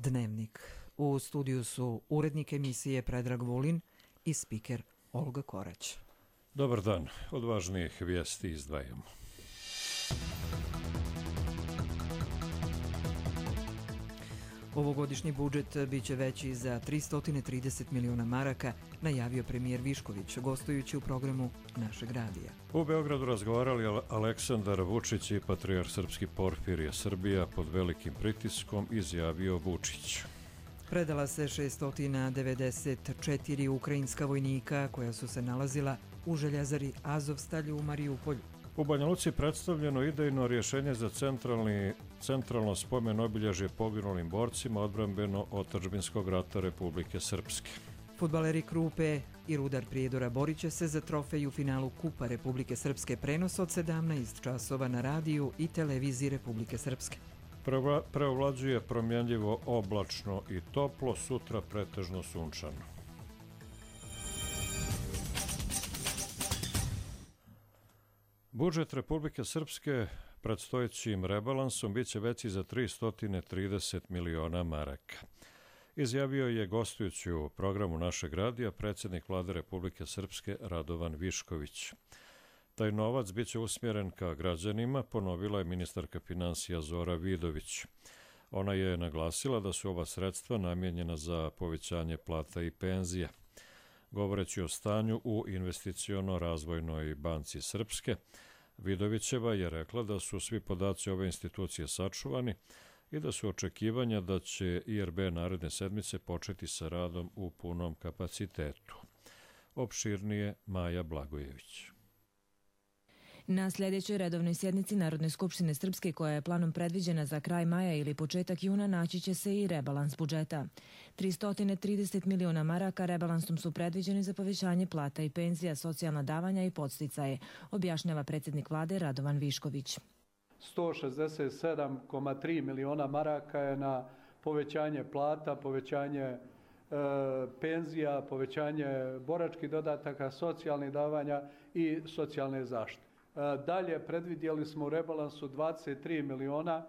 Dnevnik. U studiju su urednik emisije Predrag Vulin i spiker Olga Korać. Dobar dan, od važnijih vijesti izdvajamo. Ovogodišnji budžet biće veći za 330 miliona maraka, najavio premijer Višković, gostujući u programu našeg radija. U Beogradu razgovarali Aleksandar Vučić i patrijarh srpski Porfirije. Srbija pod velikim pritiskom, izjavio Vučić. Predala se 694 ukrajinska vojnika koja su se nalazila u željezari Azovstalj u Mariupolju. U Banja Luci predstavljeno idejno rješenje za centralno spomen obilježje poginulim borcima odbrambeno-otadžbinskog rata Republike Srpske. Fudbaleri Krupe i Rudar Prijedora borit će se za trofej u finalu Kupa Republike Srpske, prenos od 17 časova na radiju i televiziji Republike Srpske. Preovlađuje promjenljivo oblačno i toplo, sutra pretežno sunčano. Budžet Republike Srpske predstojećim rebalansom bit će veći za 330 miliona maraka. Izjavio je gostujući u programu našeg radija predsjednik Vlade Republike Srpske Radovan Višković. Taj novac bit će usmjeren ka građanima, ponovila je ministarka finansija Zora Vidović. Ona je naglasila da su ova sredstva namijenjena za povećanje plata i penzija. Govoreći o stanju u investiciono-razvojnoj banci Srpske, Vidovićeva je rekla da su svi podaci ove institucije sačuvani i da su očekivanja da će IRB naredne sedmice početi sa radom u punom kapacitetu. Opširnije Maja Blagojević. Na sljedećoj redovnoj sjednici Narodne skupštine Srpske, koja je planom predviđena za kraj maja ili početak juna, naći će se i rebalans budžeta. 330 miliona maraka rebalansom su predviđeni za povećanje plata i penzija, socijalna davanja i podsticaje, objašnjava predsjednik vlade Radovan Višković. 167,3 miliona maraka je na povećanje plata, povećanje penzija, povećanje boračkih dodataka, socijalnih davanja i socijalne zaštite. Dalje predvidjeli smo u rebalansu 23 miliona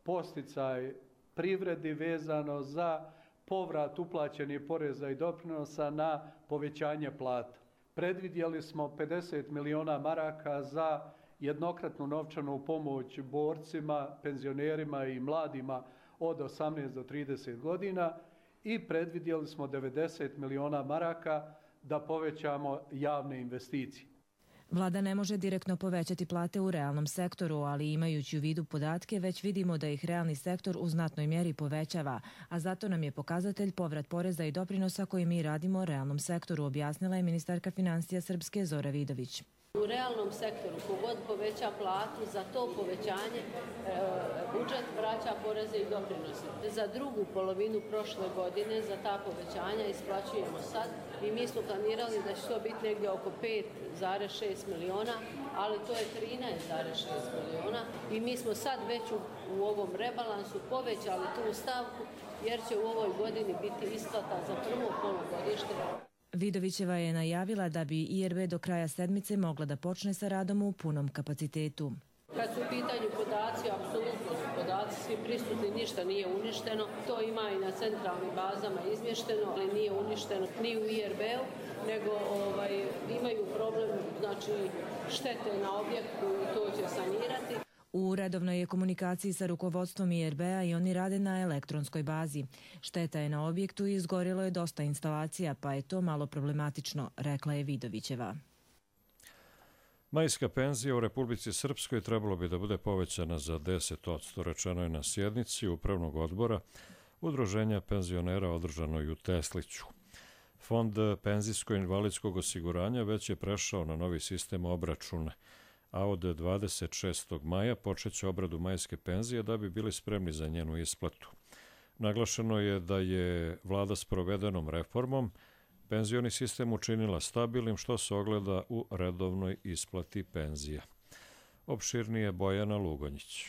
posticaj privredi vezano za povrat uplaćenih poreza i doprinosa na povećanje plata. Predvidjeli smo 50 miliona maraka za jednokratnu novčanu pomoć borcima, penzionerima i mladima od 18 do 30 godina i predvidjeli smo 90 miliona maraka da povećamo javne investicije. Vlada ne može direktno povećati plate u realnom sektoru, ali imajući u vidu podatke, već vidimo da ih realni sektor u znatnoj mjeri povećava, a zato nam je pokazatelj povrat poreza i doprinosa koji mi radimo realnom sektoru, objasnila je ministarka finansija Srpske Zora Vidović. U realnom sektoru kogod poveća platu, za to povećanje budžet vraća poreze i doprinose. Za drugu polovinu prošle godine za ta povećanja isplaćujemo sad i mi smo planirali da će to biti negdje oko 5,6 miliona, ali to je 13,6 miliona i mi smo sad već u ovom rebalansu povećali tu stavku jer će u ovoj godini biti isplata za prvo polugodište. Vidovićeva je najavila da bi IRB do kraja sedmice mogla da počne sa radom u punom kapacitetu. Kad su u pitanju podaci, apsolutno su podaci svi prisutni, ništa nije uništeno. To ima i na centralnim bazama izmješteno, ali nije uništeno ni u IRB-u, nego imaju problem, znači štete na objektu i to će sanirati. U redovnoj je komunikaciji sa rukovodstvom IRB-a i oni rade na elektronskoj bazi. Šteta je na objektu i izgorilo je dosta instalacija, pa je to malo problematično, rekla je Vidovićeva. Majska penzija u Republici Srpskoj trebalo bi da bude povećana za 10%, rečeno je na sjednici Upravnog odbora Udruženja penzionera održanoj u Tesliću. Fond penzijsko-invalidskog osiguranja već je prešao na novi sistem obračuna, a od 26. maja počeće obradu majske penzije da bi bili spremni za njenu isplatu. Naglašeno je da je vlada s provedenom reformom penzioni sistem učinila stabilnim, što se ogleda u redovnoj isplati penzija. Opširnije Bojana Lugonjić.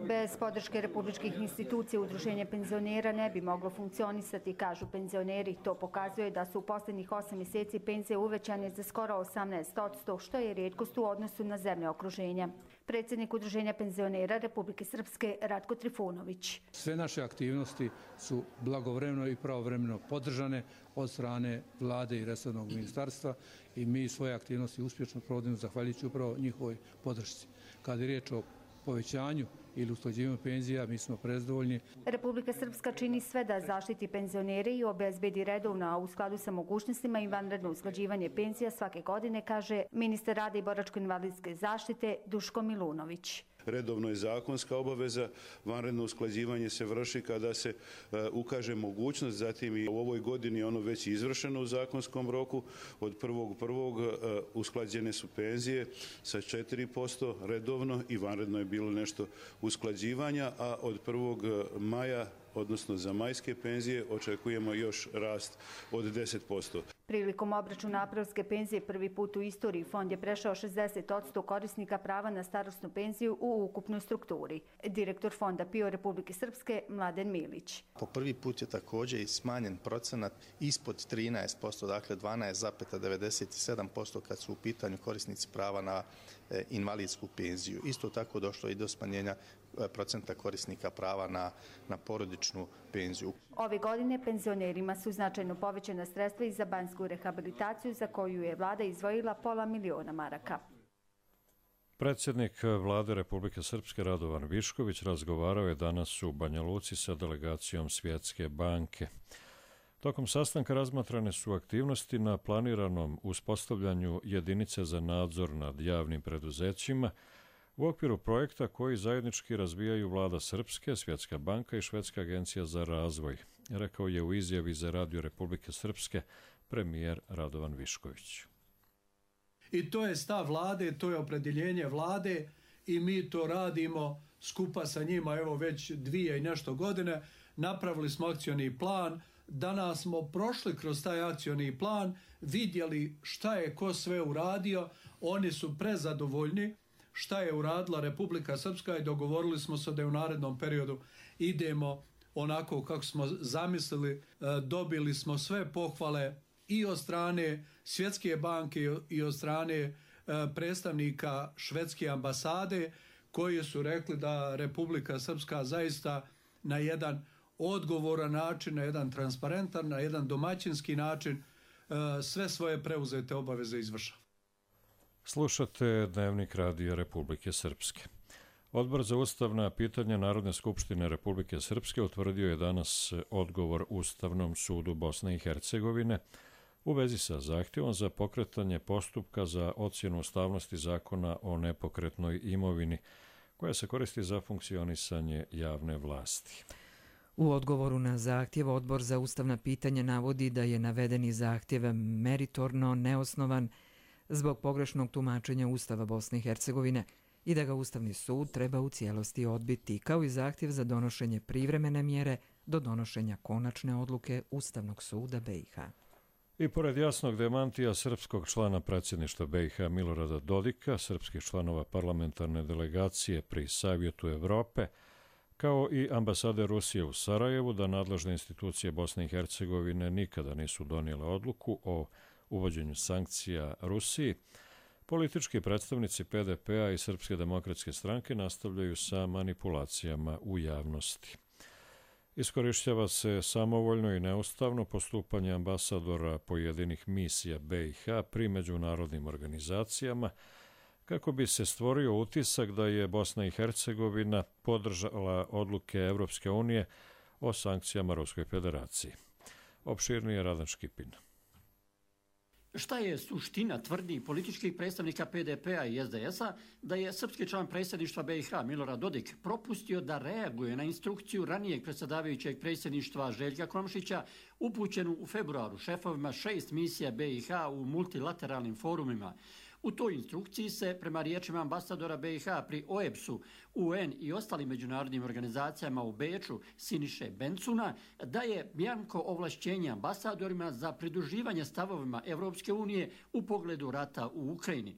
Bez podrške republičkih institucija udruženje penzionera ne bi moglo funkcionisati, kažu penzioneri. To pokazuje da su u posljednjih 8 mjeseci penzije uvećane za skoro 18%, što je rijetkost u odnosu na zemlje okruženja. Predsjednik udruženja penzionera Republike Srpske Ratko Trifunović. Sve naše aktivnosti su blagovremeno i pravovremeno podržane od strane vlade i resornog ministarstva i mi svoje aktivnosti uspješno provodimo zahvaljujući upravo njihovoj podršci. Kad je riječ o povećanju ili usklađivanju penzija, mi smo prezadovoljni. Republika Srpska čini sve da zaštiti penzionere i obezbedi redovno, a u skladu sa mogućnostima i vanredno usklađivanje penzija svake godine, kaže ministar rada i boračko-invalidske zaštite Duško Milunović. Redovno je zakonska obaveza, vanredno usklađivanje se vrši kada se ukaže mogućnost, zatim i u ovoj godini ono već izvršeno u zakonskom roku. Od 1.1. usklađene su penzije sa 4% redovno i vanredno je bilo nešto usklađivanja, a od 1. maja, odnosno za majske penzije, očekujemo još rast od 10%. Prilikom obračuna aprilske penzije prvi put u istoriji fond je prešao 60% korisnika prava na starosnu penziju u ukupnoj strukturi. Direktor fonda PIO Republike Srpske Mladen Milić. Po prvi put je također i smanjen procenat ispod 13%, dakle 12,97% kad su u pitanju korisnici prava na invalidsku penziju. Isto tako došlo i do smanjenja procenta korisnika prava na porodičnu penziju. Ove godine penzionerima su značajno povećana sredstva i za banjsku rehabilitaciju za koju je vlada izdvojila $500.000 maraka. Predsjednik vlade Republike Srpske Radovan Višković razgovarao je danas u Banja Luci sa delegacijom Svjetske banke. Tokom sastanka razmatrane su aktivnosti na planiranom uspostavljanju jedinice za nadzor nad javnim preduzećima u okviru projekta koji zajednički razvijaju vlada Srpske, Svjetska banka i Švedska agencija za razvoj, rekao je u izjavi za Radio Republike Srpske premijer Radovan Višković. I to je stav vlade, to je opredjeljenje vlade i mi to radimo skupa sa njima, evo već 2 i nešto godine. Napravili smo akcioni plan, danas smo prošli kroz taj akcioni plan, vidjeli šta je ko sve uradio, oni su prezadovoljni šta je uradila Republika Srpska i dogovorili smo se da u narednom periodu idemo onako kako smo zamislili. Dobili smo sve pohvale i od strane Svjetske banke i od strane predstavnika Švedske ambasade koji su rekli da Republika Srpska zaista na jedan odgovoran način, na jedan transparentan, na jedan domaćinski način sve svoje preuzete obaveze izvršava. Slušate Dnevnik Radija Republike Srpske. Odbor za ustavna pitanja Narodne skupštine Republike Srpske utvrdio je danas odgovor Ustavnom sudu Bosne i Hercegovine u vezi sa zahtjevom za pokretanje postupka za ocjenu ustavnosti zakona o nepokretnoj imovini, koja se koristi za funkcionisanje javne vlasti. U odgovoru na zahtjev Odbor za ustavna pitanja navodi da je navedeni zahtjev meritorno neosnovan zbog pogrešnog tumačenja Ustava Bosne i Hercegovine i da ga Ustavni sud treba u cijelosti odbiti, kao i zahtjev za donošenje privremene mjere do donošenja konačne odluke Ustavnog suda BiH. I pored jasnog demantija srpskog člana predsjedništva BiH Milorada Dodika, srpskih članova parlamentarne delegacije pri Savjetu Evrope, kao i ambasade Rusije u Sarajevu da nadležne institucije Bosne i Hercegovine nikada nisu donijele odluku o uvođenju sankcija Rusiji, politički predstavnici PDP-a i Srpske demokratske stranke nastavljaju sa manipulacijama u javnosti. Iskorišćava se samovoljno i neustavno postupanje ambasadora pojedinih misija BiH pri međunarodnim organizacijama kako bi se stvorio utisak da je Bosna i Hercegovina podržala odluke Evropske unije o sankcijama Ruskoj federaciji. Opširnije Radan Škipin. Šta je suština tvrdi političkih predstavnika PDP-a i SDS-a da je srpski član predsjedništva BiH Milorad Dodik propustio da reaguje na instrukciju ranijeg predsjedavajućeg predsjedništva Željka Komšića upućenu u februaru šefovima 6 misija BiH u multilateralnim forumima. U toj instrukciji se, prema riječima ambasadora BiH pri OEBS-u, UN i ostalim međunarodnim organizacijama u Beču Siniše Bencuna, daje bjanko ovlašćenje ambasadorima za pridruživanje stavovima Evropske unije u pogledu rata u Ukrajini.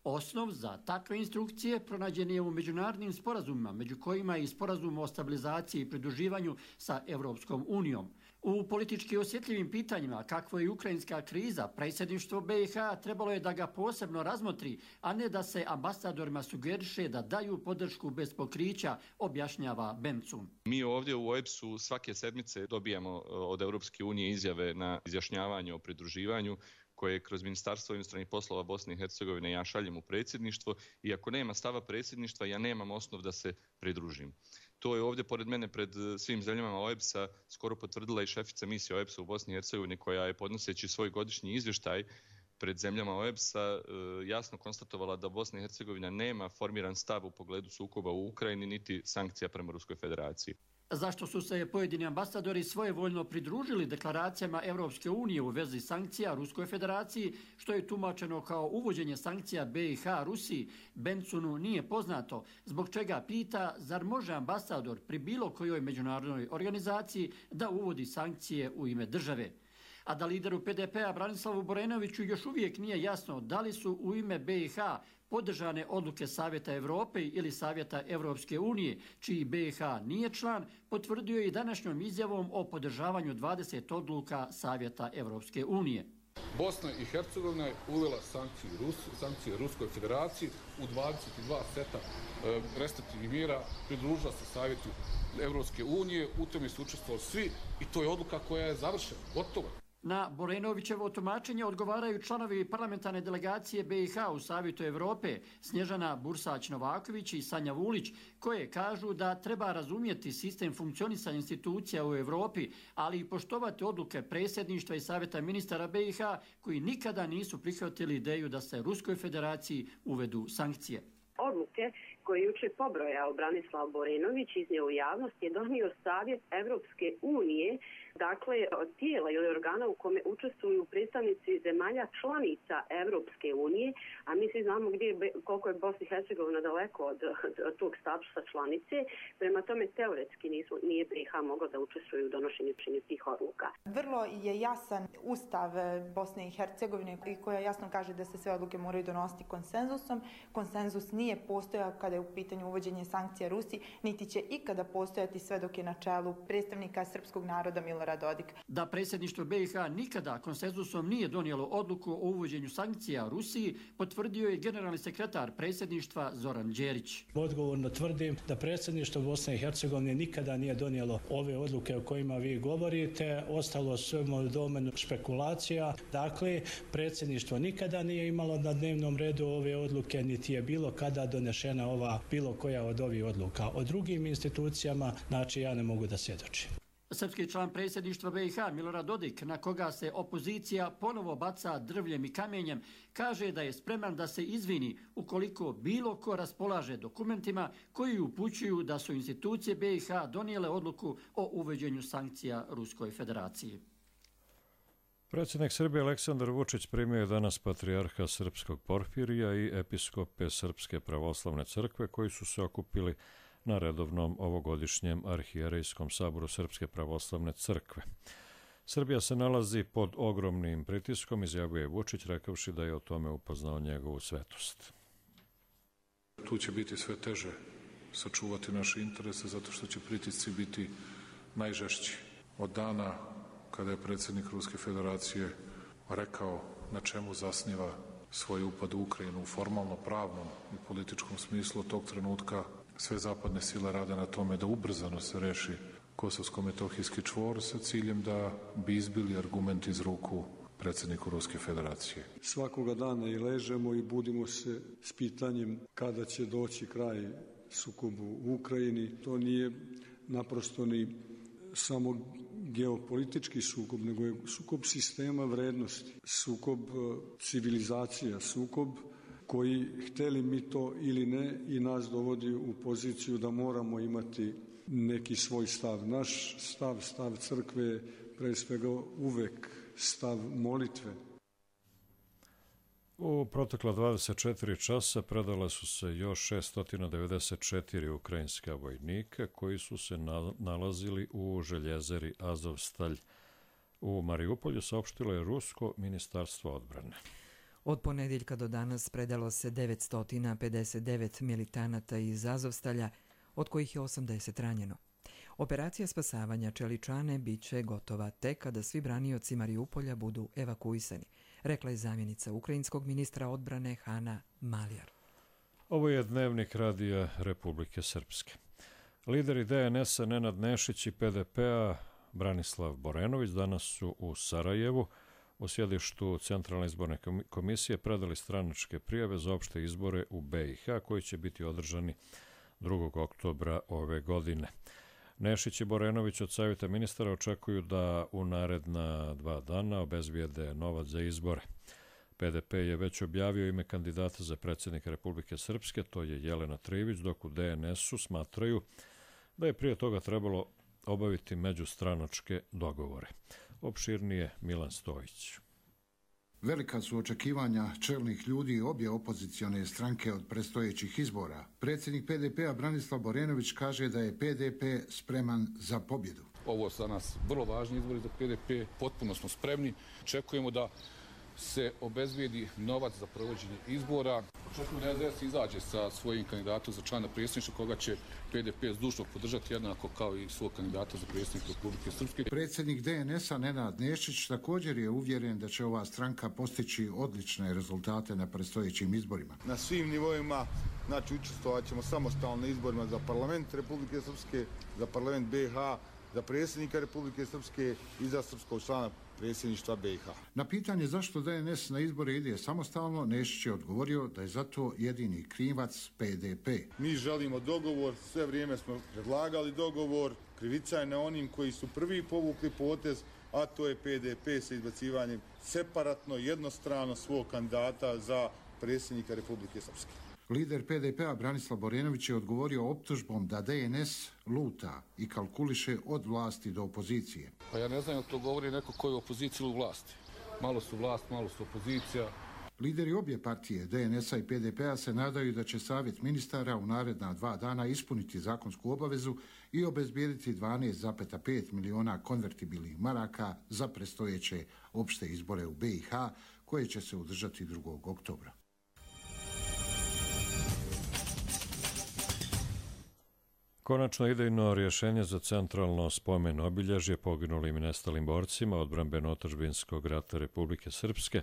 Osnov za takve instrukcije pronađen je u međunarodnim sporazumima, među kojima je i sporazum o stabilizaciji i pridruživanju sa Evropskom unijom. U politički osjetljivim pitanjima, kakvo je ukrajinska kriza, predsjedništvo BiH trebalo je da ga posebno razmotri, a ne da se ambasadorima sugeriše da daju podršku bez pokrića, objašnjava Bencun. Mi ovdje u OEBS-u svake sedmice dobijamo od Europske unije izjave na izjašnjavanje o pridruživanju, koje kroz Ministarstvo inostranih poslova Bosne i Hercegovine ja šaljem u predsjedništvo i ako nema stava predsjedništva, ja nemam osnov da se pridružim. To je ovdje pored mene pred svim zemljama OEBS-a skoro potvrdila i šefica misije OEBS-a u Bosni i Hercegovini, koja je podnoseći svoj godišnji izvještaj pred zemljama OEBS-a jasno konstatovala da Bosna i Hercegovina nema formiran stav u pogledu sukoba u Ukrajini niti sankcija prema Ruskoj federaciji. Zašto su se pojedini ambasadori svojevoljno pridružili deklaracijama Evropske unije u vezi sankcija Ruskoj federaciji, što je tumačeno kao uvođenje sankcija BiH Rusiji, Bencunu nije poznato, zbog čega pita zar može ambasador pri bilo kojoj međunarodnoj organizaciji da uvodi sankcije u ime države. A da lideru PDP-a Branislavu Borenoviću još uvijek nije jasno da li su u ime BiH podržane odluke Savjeta Evrope ili Savjeta Evropske unije, čiji BiH nije član, potvrdio je i današnjom izjavom o podržavanju 20 odluka Savjeta Evropske unije. Bosna i Hercegovina je uvela sankcije Ruskoj federaciji u 22 seta restriktivnih mjera, pridružila se Savjetu Evropske unije, u tome su učestvovali svi i to je odluka koja je završena, gotova. Na Borenovićevo tumačenje odgovaraju članovi parlamentarne delegacije BiH u Savjetu Evrope, Snježana Bursać-Novaković i Sanja Vulić, koje kažu da treba razumjeti sistem funkcionisanja institucija u Evropi, ali i poštovati odluke predsjedništva i Savjeta ministara BiH, koji nikada nisu prihvatili ideju da se Ruskoj federaciji uvedu sankcije. Odluke koje je jučer pobrojao Branislav Borenović iznio u javnost je donio Savjet Evropske unije, dakle od tijela ili organa u kome učestvuju predstavnici zemalja članica Evropske unije, a mi svi znamo koliko je Bosna i Hercegovina daleko od tog statusa članice, prema tome teoretski nije BiH mogla da učestvuju u donošenju tih odluka. Vrlo je jasan ustav Bosne i Hercegovine koja jasno kaže da se sve odluke moraju donositi konsenzusom. Konsenzus nije postojao kada je u pitanju uvođenje sankcija Rusiji, niti će ikada postojati sve dok je na čelu predstavnika srpskog naroda Milorad Dodik. Da predsjedništvo BiH nikada konsenzusom nije donijelo odluku o uvođenju sankcija Rusiji, potvrdio je generalni sekretar predsjedništva Zoran Đerić. Odgovorno tvrdim da predsjedništvo Bosne i Hercegovine nikada nije donijelo ove odluke o kojima vi govorite, ostalo samo u domenu špekulacija. Dakle, predsjedništvo nikada nije imalo na dnevnom redu ove odluke, niti je bilo kada donešena bilo koja od ovih odluka. O drugim institucijama, znači ja ne mogu da svjedočim. Srpski član predsjedništva BiH Milorad Dodik, na koga se opozicija ponovo baca drvljem i kamenjem, kaže da je spreman da se izvini ukoliko bilo ko raspolaže dokumentima koji upućuju da su institucije BiH donijele odluku o uvođenju sankcija Ruskoj federaciji. Predsjednik Srbije Aleksandar Vučić primio je danas patrijarha srpskog Porfirija i episkope Srpske pravoslavne crkve koji su se okupili na redovnom ovogodišnjem arhijerejskom saboru Srpske pravoslavne crkve. Srbija se nalazi pod ogromnim pritiskom, izjavljuje Vučić, rekavši da je o tome upoznao njegovu svetost. Tu će biti sve teže sačuvati naše interese zato što će pritisci biti najžešći. Od dana kada je predsjednik Ruske federacije rekao na čemu zasniva svoj upad u Ukrajinu u formalno pravnom i političkom smislu, od tog trenutka sve zapadne sile rade na tome da ubrzano se reši kosovsko-metohijski čvor sa ciljem da bi izbili argument iz ruku predsjedniku Ruske federacije. Svakoga dana i ležemo i budimo se s pitanjem kada će doći kraj sukobu u Ukrajini. To nije naprosto ni samo geopolitički sukob, nego je sukob sistema vrednosti, sukob civilizacija, sukob koji, hteli mi to ili ne, i nas dovodi u poziciju da moramo imati neki svoj stav. Naš stav crkve je pre svega uvek stav molitve. U protekla 24 časa predala su se još 694 ukrajinska vojnika koji su se nalazili u željezari Azovstalj u Mariupolju, saopštilo je Rusko ministarstvo odbrane. Od ponedjeljka do danas predalo se 959 militanata iz Azovstalja, od kojih je 80 ranjeno. Operacija spasavanja Čeličane bit će gotova tek kada svi branioci Mariupolja budu evakuisani, rekla je zamjenica ukrajinskog ministra odbrane Hana Maljar. Ovo je dnevnik Radija Republike Srpske. Lideri DNS-a Nenad Nešić i PDP-a Branislav Borenović danas su u Sarajevu u sjedištu Centralne izborne komisije predali stranačke prijave za opšte izbore u BiH koji će biti održani 2. oktobra ove godine. Nešić i Borenović od Savjeta ministara očekuju da u naredna 2 dana obezbijede novac za izbore. PDP je već objavio ime kandidata za predsjednika Republike Srpske, to je Jelena Trivić, dok u DNS-u smatraju da je prije toga trebalo obaviti međustranačke dogovore. Opširnije Milan Stojić. Velika su očekivanja čelnih ljudi obje opozicione stranke od predstojećih izbora. Predsjednik PDP-a Branislav Borenović kaže da je PDP spreman za pobjedu. Ovo su za nas vrlo važni izbori za PDP, potpuno smo spremni. Očekujemo da se obezbijedi novac za provođenje izbora. Očekujemo da SDS izađe sa svojim kandidatom za člana predsjedništva koga će PDP zdušno podržati jednako kao i svog kandidata za predsjednika Republike Srpske. Predsjednik DNS-a Nenad Nešić također je uvjeren da će ova stranka postići odlične rezultate na predstojećim izborima. Na svim nivoima, znači učestvovat ćemo samostalno na izborima za parlament Republike Srpske, za parlament BiH, za predsjednika Republike Srpske i za srpskog člana predsjedništva BiH. Na pitanje zašto DNS na izbore ide samostalno, Nešić je odgovorio da je zato jedini krivac PDP. Mi želimo dogovor, sve vrijeme smo predlagali dogovor, krivica je na onim koji su prvi povukli potez, a to je PDP sa izbacivanjem separatno, jednostrano svog kandidata za predsjednika Republike Srpske. Lider PDP-a Branislav Borenović je odgovorio optužbom da DNS luta i kalkuliše od vlasti do opozicije. Pa ja ne znam, to govori neko koji je u opoziciji ili u vlasti. Malo su vlast, malo su opozicija. Lideri obje partije, DNS-a i PDP-a, se nadaju da će Savjet ministara u naredna 2 dana ispuniti zakonsku obavezu i obezbijediti 12,5 miliona konvertibilnih maraka za predstojeće opšte izbore u BiH, koje će se održati 2. oktobra. Konačno idejno rješenje za centralno spomen obilježje poginulim i nestalim borcima odbrambeno-otadžbinskog rata Republike Srpske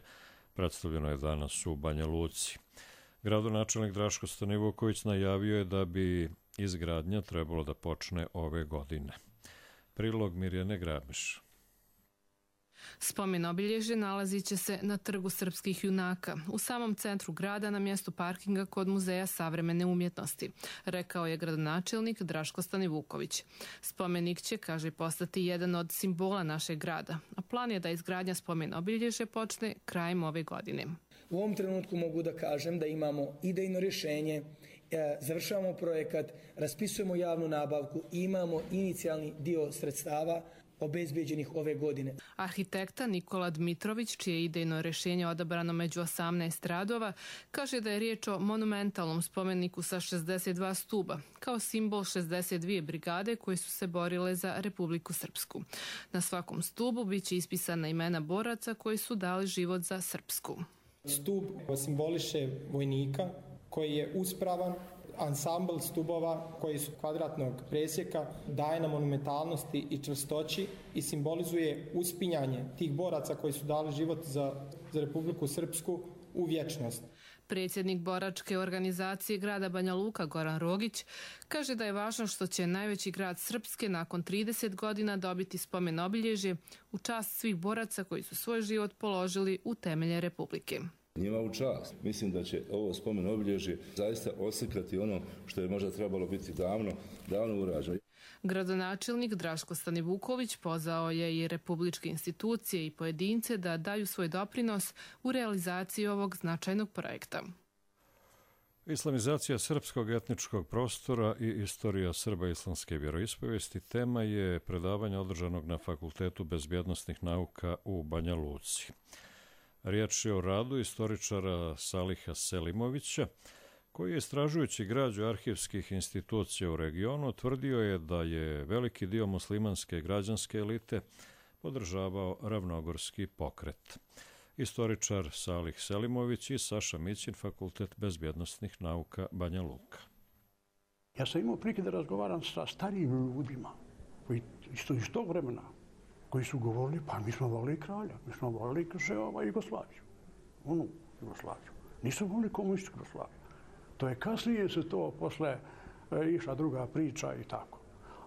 predstavljeno je danas u Banja Luci. Gradonačelnik Draško Stanivuković najavio je da bi izgradnja trebalo da počne ove godine. Prilog Mirjane Grabiš. Spomen obilježje nalazit će se na Trgu srpskih junaka, u samom centru grada na mjestu parkinga kod Muzeja savremene umjetnosti, rekao je gradonačelnik Draško Stanivuković. Spomenik će, kaže, postati jedan od simbola našeg grada, a plan je da izgradnja spomen obilježje počne krajem ove godine. U ovom trenutku mogu da kažem da imamo idejno rješenje, završavamo projekat, raspisujemo javnu nabavku i imamo inicijalni dio sredstava obezbeđenih ove godine. Arhitekta Nikola Dmitrović, čije idejno rješenje odabrano među 18 radova, kaže da je riječ o monumentalnom spomeniku sa 62 stuba, kao simbol 62 brigade koje su se borile za Republiku Srpsku. Na svakom stubu biće ispisana imena boraca koji su dali život za Srpsku. Stub simboliše vojnika koji je uspravan. Ansambl stubova koji su kvadratnog presjeka daje na monumentalnosti i čvrstoći i simbolizuje uspinjanje tih boraca koji su dali život za Republiku Srpsku u vječnost. Predsjednik boračke organizacije grada Banja Luka Goran Rogić kaže da je važno što će najveći grad Srpske nakon 30 godina dobiti spomen obilježje u čast svih boraca koji su svoj život položili u temelje Republike. Njima u čast. Mislim da će ovo spomen obilježje zaista oslikati ono što je možda trebalo biti davno urađeno. Gradonačelnik Draško Stanivuković pozvao je i republičke institucije i pojedince da daju svoj doprinos u realizaciji ovog značajnog projekta. Islamizacija srpskog etničkog prostora i istorija Srba islamske vjeroispovijesti tema je predavanja održanog na Fakultetu bezbjednosnih nauka u Banja Luci. Riječ je o radu istoričara Saliha Selimovića, koji je istražujući građu arhivskih institucija u regionu tvrdio je da je veliki dio muslimanske građanske elite podržavao ravnogorski pokret. istoričar Salih Selimović i Saša Mićin, Fakultet bezbjednostnih nauka Banja Luka. Ja sam imao prilike da razgovaram sa starijim ljudima koji isto iz tog vremena, koji su govorili, pa mi smo volili kralja, mi smo volili Jugoslaviju, onu Jugoslaviju. Nisu volili komunističku Jugoslaviju. To je kasnije se to posle išla druga priča i tako.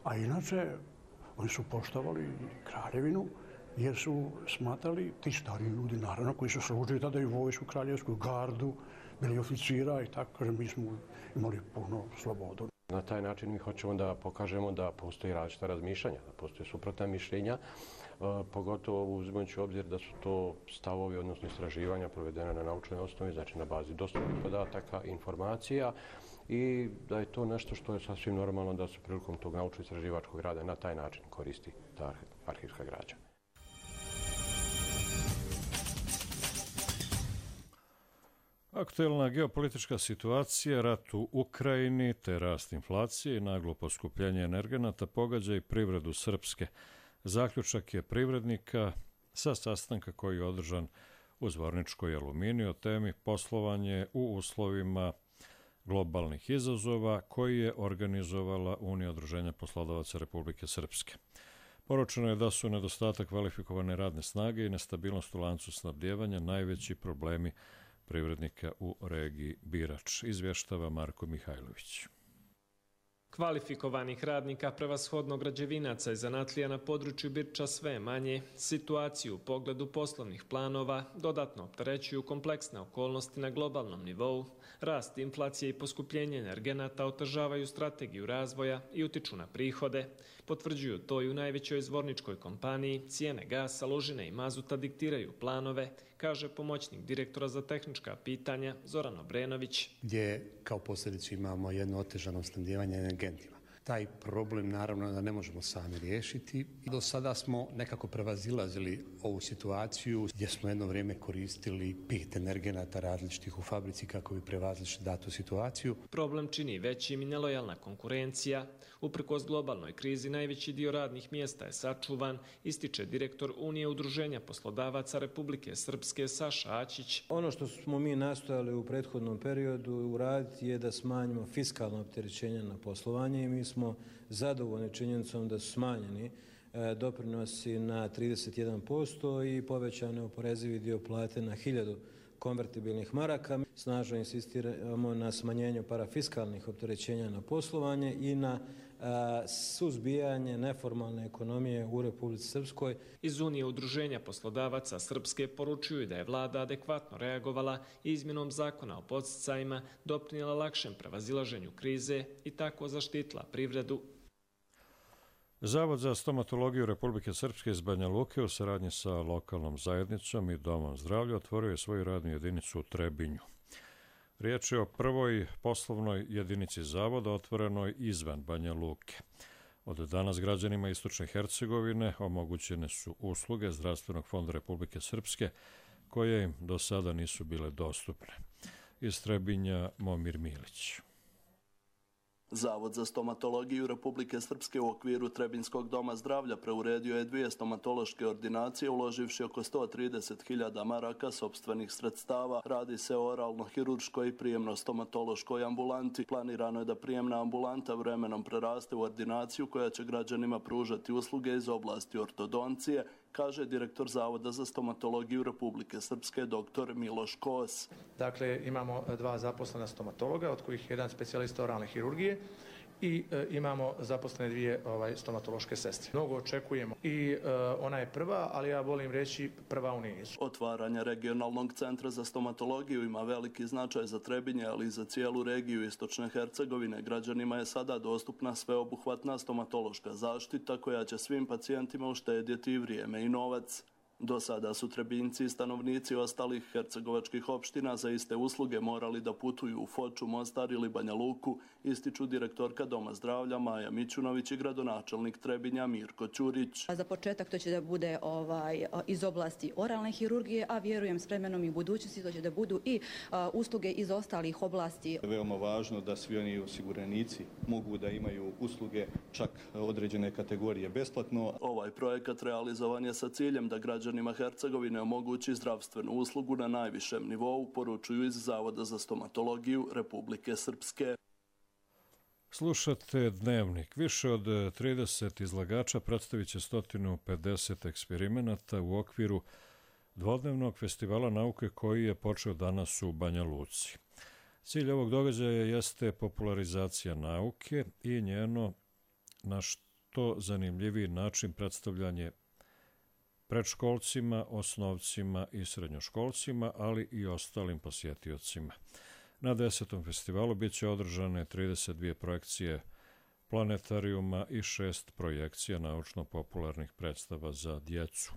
A inače, oni su poštovali kraljevinu jer su smatrali, ti stariji ljudi, naravno, koji su služili tada i vojsku, kraljevsku gardu, bili oficira i tako, kažem, mi smo imali puno slobodu. Na taj način mi hoćemo da pokažemo da postoji različita razmišljanja, da postoje suprotna mišljenja, pogotovo uzimajući u obzir da su to stavovi, odnosno istraživanja provedene na naučnoj osnovi, znači na bazi dostupnih podataka, informacija, i da je to nešto što je sasvim normalno da se prilikom tog naučno-istraživačkog rada na taj način koristi ta arhivska građa. Aktuelna geopolitička situacija, rat u Ukrajini te rast inflacije i naglo poskupljenje energenata pogađa i privredu Srpske. Zaključak je privrednika sa sastanka koji je održan u Zvorničkoj Aluminiju o temi poslovanje u uslovima globalnih izazova koji je organizovala Unija udruženja poslodavaca Republike Srpske. Poručeno je da su nedostatak kvalifikovane radne snage i nestabilnost u lancu snabdijevanja najveći problemi privrednika u regiji Birač, izvještava Marko Mihajlović. Kvalifikovanih radnika, prevashodno građevinaca i zanatlija na području Birča sve manje, situaciju u pogledu poslovnih planova dodatno opterećuju kompleksne okolnosti na globalnom nivou, rast inflacije i poskupljenje energenata otežavaju strategiju razvoja i utiču na prihode. Potvrđuju to i u najvećoj zvorničkoj kompaniji, cijene gasa, lužine i mazuta diktiraju planove, kaže pomoćnik direktora za tehnička pitanja Zoran Obrenović. Gdje kao posljedicu imamo jedno otežano snabdijevanje energentima. Taj problem naravno da ne možemo sami riješiti. Do sada smo nekako prevazilazili ovu situaciju gdje smo jedno vrijeme koristili 5 energenata različitih u fabrici kako bi prevazili datu situaciju. Problem čini većim i nelojalna konkurencija. Uprkos globalnoj krizi najveći dio radnih mjesta je sačuvan, ističe direktor Unije udruženja poslodavaca Republike Srpske Saša Aćić. Ono što smo mi nastojali u prethodnom periodu uraditi je da smanjimo fiskalno opterećenje na poslovanje i mi smo zadovoljni činjenicom da su smanjeni doprinosi na 31% i povećane oporezivi dio plate na 1000 konvertibilnih maraka. Snažno insistiramo na smanjenju parafiskalnih opterećenja na poslovanje i na suzbijanje neformalne ekonomije u Republici Srpskoj. Iz Unije udruženja poslodavaca Srpske poručuju da je vlada adekvatno reagovala i izmjenom zakona o podsticajima doprinijela lakšem prevazilaženju krize i tako zaštitila privredu. Zavod za stomatologiju Republike Srpske iz Banja Luke u saradnji sa lokalnom zajednicom i domom zdravlja otvorio je svoju radnu jedinicu u Trebinju. Riječ je o prvoj poslovnoj jedinici zavoda otvorenoj izvan Banja Luke. Od danas građanima Istočne Hercegovine omogućene su usluge Zdravstvenog fonda Republike Srpske koje im do sada nisu bile dostupne. Iz Trebinja Momir Milić. Zavod za stomatologiju Republike Srpske u okviru Trebinskog doma zdravlja preuredio je 2 stomatološke ordinacije uloživši oko 130.000 maraka sopstvenih sredstava. Radi se o oralno-hirurškoj i prijemno-stomatološkoj ambulanti. Planirano je da prijemna ambulanta vremenom preraste u ordinaciju koja će građanima pružati usluge iz oblasti ortodoncije, kaže direktor Zavoda za stomatologiju Republike Srpske dr. Miloš Kos. Dakle, imamo 2 zaposlena stomatologa, od kojih 1 specijalista oralne hirurgije i imamo zaposlene 2 stomatološke sestre. Mnogo očekujemo i ona je prva, ali ja volim reći prva u nizu. Otvaranje regionalnog centra za stomatologiju ima veliki značaj za Trebinje, ali i za cijelu regiju Istočne Hercegovine. Građanima je sada dostupna sveobuhvatna stomatološka zaštita koja će svim pacijentima uštedjeti vrijeme i novac. Do sada su Trebinjci i stanovnici ostalih hercegovačkih opština za iste usluge morali da putuju u Foču, Mostar ili Banja Luku, ističu direktorka Doma zdravlja Maja Mićunović i gradonačelnik Trebinja Mirko Ćurić. Za početak to će da bude iz oblasti oralne hirurgije, a vjerujem s vremenom i u budućnosti to će da budu i usluge iz ostalih oblasti. Veoma važno da svi oni osiguranici mogu da imaju usluge čak određene kategorije besplatno. Ovaj projekat realizovan je sa ciljem da građani građanima Hercegovine omogući zdravstvenu uslugu na najvišem nivou, poručuju iz Zavoda za stomatologiju Republike Srpske. Slušate Dnevnik. Više od 30 izlagača predstavit će 150 eksperimenata u okviru dvodnevnog festivala nauke koji je počeo danas u Banja Luci. Cilj ovog događaja jeste popularizacija nauke i njeno na što zanimljiviji način predstavljanje predškolcima, osnovcima i srednjoškolcima, ali i ostalim posjetiocima. Na 10. festivalu bit će održane 32 projekcije planetarijuma i 6 projekcija naučno-popularnih predstava za djecu,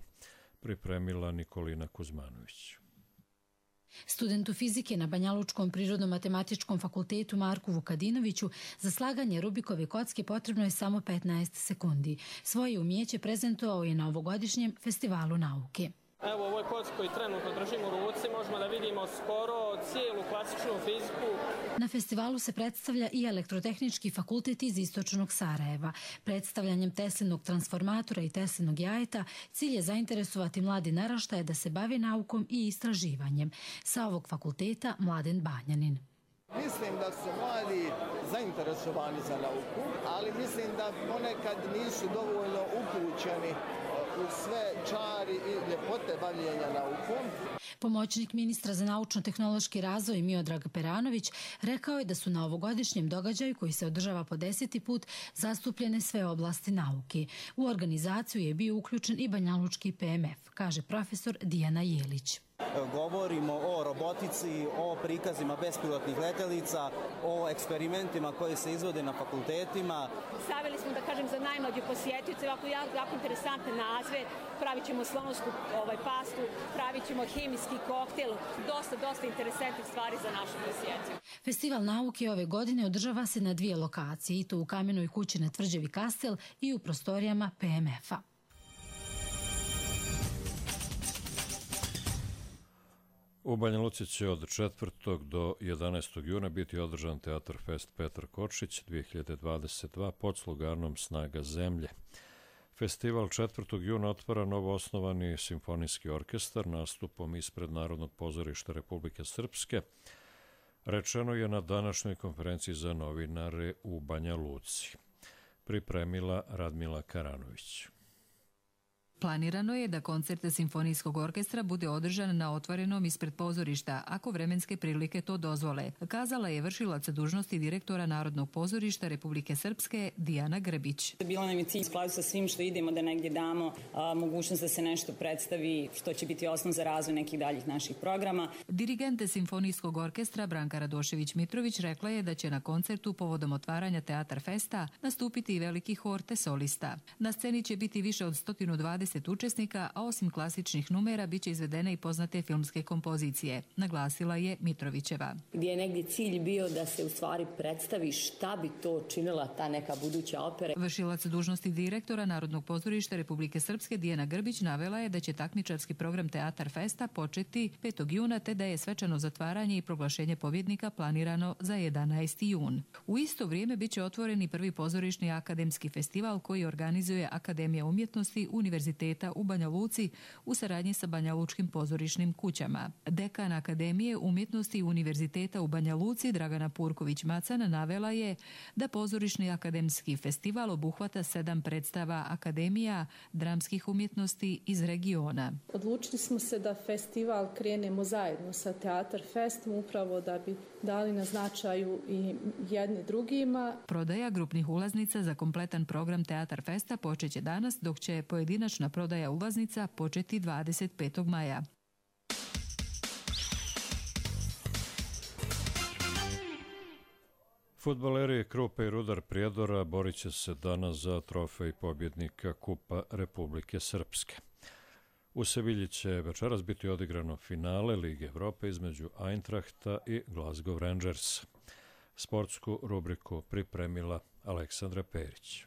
pripremila Nikolina Kuzmanović. Studentu fizike na Banjalučkom prirodno-matematičkom fakultetu Marku Vukadinoviću za slaganje Rubikove kocke potrebno je samo 15 sekundi. Svoje umijeće prezentovao je na ovogodišnjem festivalu nauke. Evo, ovoj kocki koji trenutno držimo u ruci možemo da vidimo skoro cijelu klasičnu fiziku. Na festivalu se predstavlja i Elektrotehnički fakultet iz istočnog Sarajeva. Predstavljanjem Teslinog transformatora i Teslinog jajeta cilj je zainteresovati mladi naraštaje da se bave naukom i istraživanjem. Sa ovog fakulteta Mladen Banjanin. Mislim da su mladi zainteresovani za nauku, ali mislim da ponekad nisu dovoljno upućeni u sve čari i ljepote bavljenja naukom. Pomoćnik ministra za naučno-tehnološki razvoj Miodrag Peranović rekao je da su na ovogodišnjem događaju koji se održava po 10. put zastupljene sve oblasti nauke. U organizaciju je bio uključen i Banjalučki PMF, kaže profesor Dijana Jelić. Govorimo o robotici, o prikazima bespilotnih letelica, o eksperimentima koji se izvode na fakultetima. Stavili smo, da kažem, za najmlađe posjetioce jako interesantne nazve. Pravit ćemo slonovsku pastu, pravit ćemo hemijski koktel. Dosta interesantnih stvari za našu posjetiju. Festival nauke ove godine održava se na 2 lokacije, i to u Kamenoj kući na Tvrđavi Kastel i u prostorijama PMF-a. U Banja Luci će od 4. do 11. juna biti održan Teatar Fest Petar Kočić 2022 pod sloganom Snaga zemlje. Festival 4. juna otvara novoosnovani simfonijski orkestar nastupom ispred Narodnog pozorišta Republike Srpske, rečeno je na današnjoj konferenciji za novinare u Banja Luci. Pripremila Radmila Karanović. Planirano je da koncert simfonijskog orkestra bude održan na otvorenom ispred pozorišta, ako vremenske prilike to dozvole, kazala je vršilac dužnosti direktora Narodnog pozorišta Republike Srpske Dijana Grbić. Bilo nam je cilj skladu sa svim što idemo da negdje damo mogućnost da se nešto predstavi što će biti osnov za razvoj nekih daljih naših programa. Dirigente simfonijskog orkestra Branka Radošević-Mitrović rekla je da će na koncertu povodom otvaranja Teatar Festa nastupiti i veliki hor te solista. Na sceni će biti više od 120 učesnika, a osim klasičnih numera biće izvedene i poznate filmske kompozicije, naglasila je Mitrovićeva. Gdje je negdje cilj bio da se u stvari predstavi šta bi to činila ta neka buduća opera. Vršilac dužnosti direktora Narodnog pozorišta Republike Srpske Dijana Grbić navela je da će takmičarski program Teatar Festa početi 5. juna, te da je svečano zatvaranje i proglašenje pobjednika planirano za 11. jun. U isto vrijeme biće otvoreni prvi pozorišni akademski festival koji organizuje Akademija umjetnosti Univerziteta u Banja Luci u saradnji sa Banjalučkim pozorišnim kućama. Dekan Akademije umjetnosti Univerziteta u Banja Luci Dragana Purković-Macan navela je da pozorišni akademski festival obuhvata 7 predstava akademija dramskih umjetnosti iz regiona. Odlučili smo se da festival krenemo zajedno sa Teatar Festom upravo da bi dali na značaju i jedni drugima. Prodaja grupnih ulaznica za kompletan program Teatar Festa počeće danas, dok će pojedinačna prodaja ulaznica početi 25. maja. Fudbaleri Krupe i Rudar Prijedora borit će se danas za trofej pobjednika Kupa Republike Srpske. U Sevilji će večeras biti odigrano finale Lige Evrope između Eintrachta i Glasgow Rangers. Sportsku rubriku pripremila Aleksandra Perić.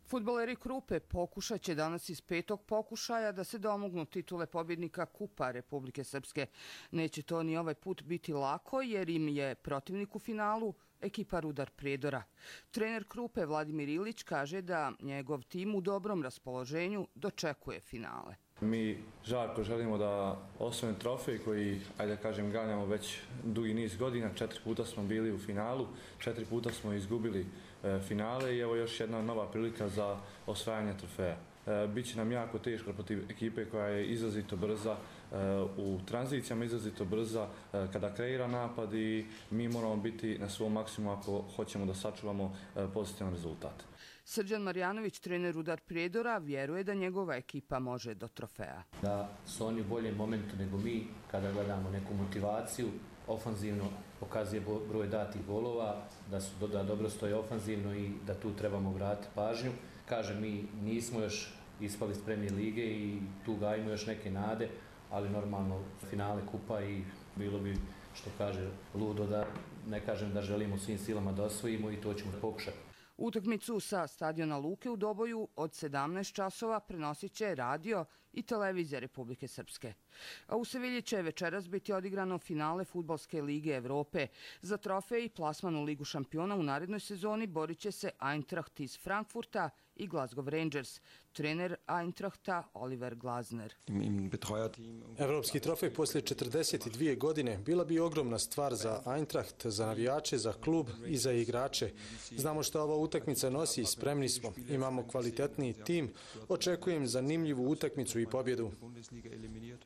Fudbaleri Krupe pokušat će danas iz 5. pokušaja da se domognu titule pobjednika Kupa Republike Srpske. Neće to ni ovaj put biti lako jer im je protivnik u finalu ekipa Rudar Prijedora. Trener Krupe Vladimir Ilić kaže da njegov tim u dobrom raspoloženju dočekuje finale. Mi žarko želimo da osvojimo trofej koji, ajde da kažem, ganjamo već dugi niz godina. 4 puta smo bili u finalu, 4 puta smo izgubili finale i evo još jedna nova prilika za osvajanje trofeja. Biće nam jako teško protiv ekipe koja je izrazito brza u tranzicijama, izrazito brza kada kreira napad i mi moramo biti na svom maksimumu ako hoćemo da sačuvamo pozitivan rezultat. Srđan Marjanović, trener Rudar Prijedora, vjeruje da njegova ekipa može do trofeja. Da su oni u boljem momentu nego mi kada gledamo neku motivaciju, ofanzivno pokazuje broj datih golova, da dobro stoje ofanzivno i da tu trebamo vratiti pažnju. Kažem, mi nismo još ispali iz Premijer lige i tu gajimo još neke nade, ali normalno finale kupa i bilo bi, što kaže, ludo da ne kažem da želimo svim silama da osvojimo i to ćemo pokušati. Utakmicu sa stadiona Luke u Doboju od 17 časova prenosit će radio i televizija Republike Srpske. A u Sevilji će večeras biti odigrano finale Fudbalske lige Evrope. Za trofej i plasman u Ligu šampiona u narednoj sezoni borit će se Eintracht iz Frankfurta i Glasgow Rangers. Trener Eintrachta Oliver Glasner. Evropski trofej poslije 42 godine bila bi ogromna stvar za Eintracht, za navijače, za klub i za igrače. Znamo što ova utakmica nosi i spremni smo. Imamo kvalitetniji tim. Očekujem zanimljivu utakmicu i pobjedu.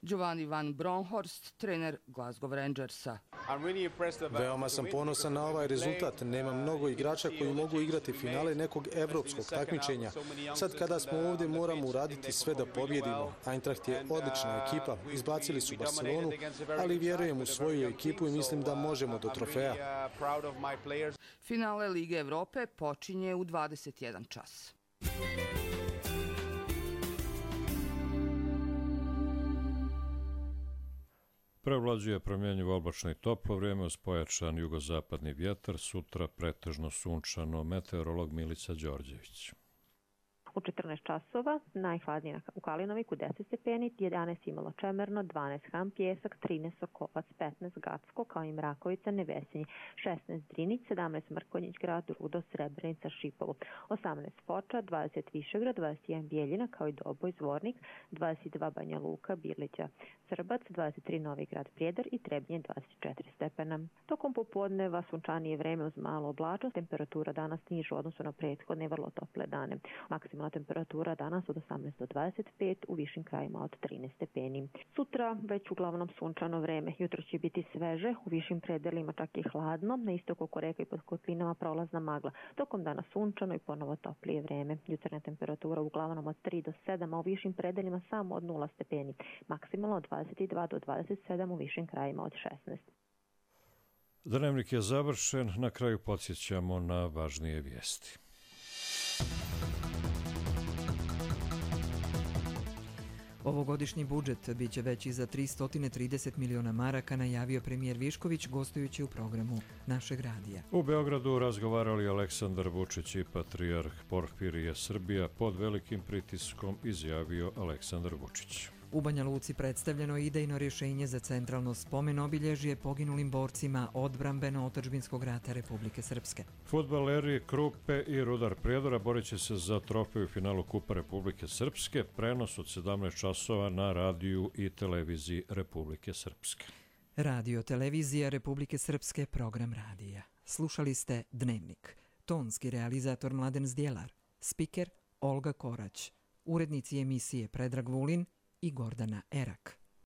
Giovanni Van Bronckhorst, trener Glasgow Rangersa. Veoma sam ponosan na ovaj rezultat. Nema mnogo igrača koji mogu igrati finale nekog evropskog takmičenja. Sad kada smo ovdje moramo uraditi sve da pobjedimo. Eintracht je odlična ekipa. Izbacili su Barcelonu, ali vjerujem u svoju ekipu i mislim da možemo do trofeja. Finale Lige Evrope počinje u 21 čas. Prevlađuje promjenjivo oblačno i toplo vrijeme uz pojačan jugozapadni vjetar, sutra pretežno sunčano, meteorolog Milica Đorđević. U 14 časova najhladnije u Kalinoviku 10 stepeni, 11 Imalo Čemerno, 12 Ham Pjesak, 13 Sokovac, 15 Gacko, kao i Mrakovica, Nevesinje, 16 Drinić, 17 Mrkonjić grad, Rudo, Srebrenica, Šipovo, 18 Foča, 20 Višegrad, 21 Bijeljina, kao i Doboj, Zvornik, 22 Banja Luka, Birlića, Crbac, 23 Novi grad Prijedor i Trebnje 24 stepena. Tokom popodneva sunčanije vreme uz malo oblačnost, temperatura danas niža u odnosu na prethodne vrlo tople dane. Maksimalna temperatura danas od 18 do 25, u višim krajima od 13 stepeni. Sutra već uglavnom sunčano vreme, jutro će biti sveže, u višim predelima čak i hladno, na istoku oko reka i pod kotlinama prolazna magla. Tokom dana sunčano i ponovo toplije vreme. Jutarnja temperatura uglavnom od 3 do 7, a u višim predelima samo od 0 stepeni. Maksimalno od 22 do 27, u višim krajima od 16. Dnevnik je završen, na kraju podsjećamo na važnije vijesti. Ovogodišnji budžet biće veći za 330 miliona maraka, najavio premijer Višković gostujući u programu našeg radija. U Beogradu razgovarali Aleksandar Vučić i patrijarh Porfirije Srbija, pod velikim pritiskom, izjavio Aleksandar Vučić. U Banja Luci predstavljeno idejno rješenje za centralno spomen obilježje poginulim borcima odbrambeno-otadžbinskog rata Republike Srpske. Fudbaleri Krupe i Rudar Prijedora borit će se za trofej u finalu Kupa Republike Srpske, prenos od 17 časova na radiju i televiziji Republike Srpske. Radio televizija Republike Srpske, program radija. Slušali ste Dnevnik. Tonski realizator Mladen Zdjelar, spiker Olga Korać, urednici emisije Predrag Vulin i Gordana Erak.